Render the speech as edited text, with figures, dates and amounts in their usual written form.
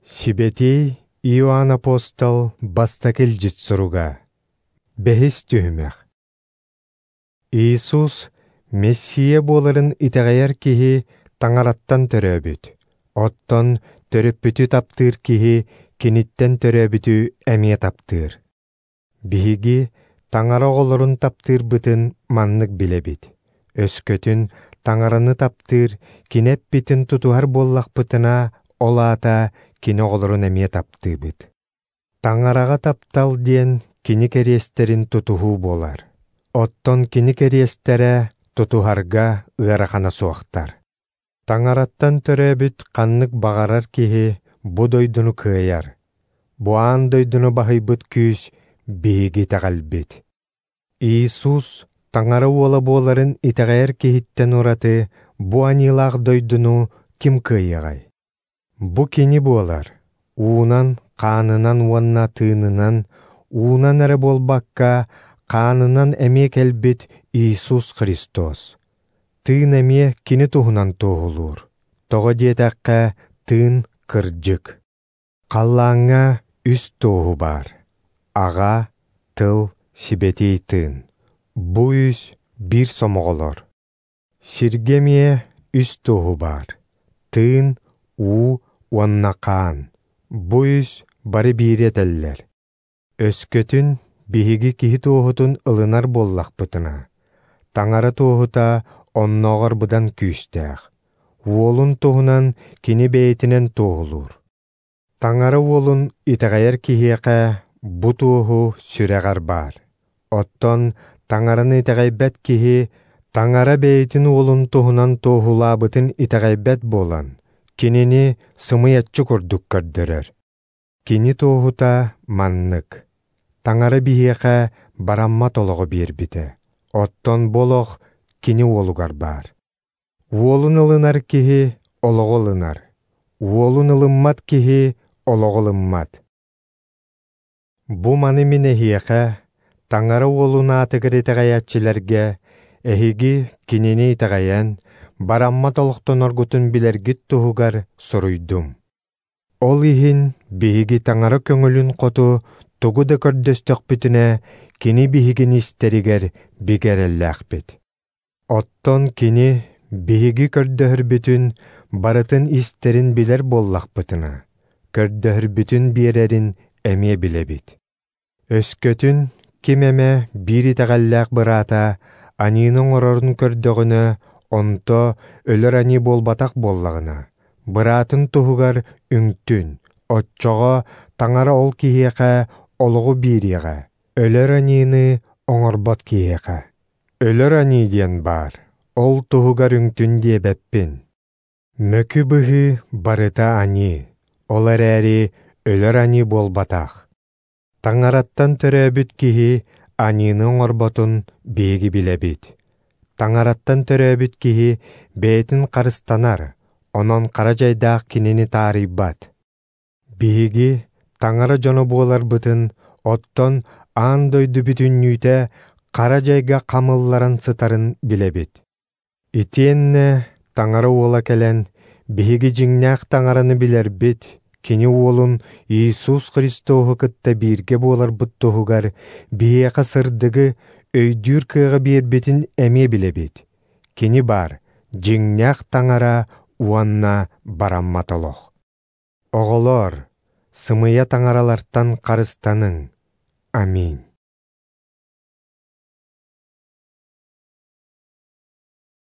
Сибэтиэй Иоанн Апостол бастакы илдьит суруга. Бэһис түһүмэх. Иисус Мессия буоларын итэҕэйэр киһи Таҥараттан төрөөбүт. Оттон төрөппүтү таптыыр киһи киниттэн төрөөбүтү эмиэ таптыыр. Биһиги Таҥара оҕолорун таптыырбытын маннык билэбит. Өскөтүн Таҥараны таптыыр, кини эппитин тутуһар буоллахпытына, ол аата кини оҕолорун эмиэ таптыыбыт. Таҥараҕа таптал диэн кини кэриэстэрин тутуһуу буолар. Оттон кини кэриэстэрэ тутуһарга ыарахана суохтар. Таҥараттан төрөөбүт ханнык баҕарар киһи бу дойдуну кыайар. Бу аан дойдуну баһыйбыт күүс биһиги итэҕэлбит. Иисус Таҥара уола буоларын итэҕэйэр киһиттэн ураты бу аньыылаах дойдуну ким кыайыаҕай? Бу кини буолар, уунан, хаанынан уонна тыынынан, уунан эрэ буолбакка, хаанынан эмиэ кэлбит Иисус Христос. Тыын эмиэ кини туһунан туоһулуур. Тоҕо диэтэххэ, тыын кырдьык. Халлааҥҥа үс туоһу баар: Аҕа, Тыл, Сибэтиэй Тыын. Бу үс биир сомоҕолор. Сиргэ эмиэ үс туоһу баар: Тыын, уу уонна хаан. Бу үс бары биири этэллэр. Өскөтүн биһиги киһи туоһутун ылынар буоллахпытына, Таҥара туоһута оннооҕор быдан күүстээх. Уолун туһунан кини бэйэтинэн туоһулуур. Таҥара уолун итэҕэйэр киһиэхэ бу туоһу сүрэҕэр баар. Оттон Таҥараны итэҕэйбэт киһи Таҥара бэйэтин уолун туһунан туоһулаабытын итэҕэйбэт буолан, кинини сымыйаччы курдук көрдөрөр. Кини туоһута маннык: Таҥара биһиэхэ бараммат олоҕу биэрбитэ, оттон бу олох кини уолугар баар. Уолун ылынар киһи олоҕу ылынар, уолун ылыммат киһи олоҕу ылыммат. Бу маны мин эһиэхэ, Таҥара уолун аатыгар итэҕэйээччилэргэ, эһиги кинини итэҕэйэн, бараммат олохтоноргутун билэргит туһугар суруйдум. Ол иһин биһиги Таҥара көҥүлүн хоту тугу да көрдөстөхпүтүнэ, кини биһигини истэригэр бигэ эрэллээхпит. Оттон кини биһиги көрдөһөрбүтүн барытын истэрин билэр буоллахпытына, көрдөһөрбүтүн биэрэрин эмиэ билэбит. Өскөтүн ким эмэ биир итэҕэллээх быраата аньыыны оҥорорун көрдөҕүнэ, онто өлөр аньыы буолбатах буоллаҕына, быраатын туһугар үҥтүн, оччоҕо Таҥара ол киһиэхэ олоҕу биэриэҕэ, өлөр аньыыны оҥорбот киһиэхэ. Өлөр аньыы диэн баар, ол туһугар үҥтүн диэбэппин. Мөкү быһыы барыта аньыы, ол эрээри өлөр аньыы буолбатах. Таҥараттан төрөөбүт киһи аньыыны оҥорботун биһиги билэбит. Таҥараттан төрөөбүт киһи бэйэтин харыстанар, онон хара дьайдаах кинини таарыйбат. Биһиги Таҥара дьоно буоларбытын, оттон аан дойду бүтүннүүтэ хара дьайга хамылларан сытарын билэбит. Итиэннэ Таҥара уола кэлэн, биһиги дьиҥнээх Таҥараны билэрбит, кини уолун Иисус Христоһу кытта бииргэ буоларбыт туһугар биһиэхэ сырдыгы өйдүүр кыаҕы биэрбитин эмиэ билэбит. Кини баар, дьиҥнээх Таҥара уонна бараммат олох. Оҕолоор, сымыйа таҥаралартан харыстаныҥ. Аминь.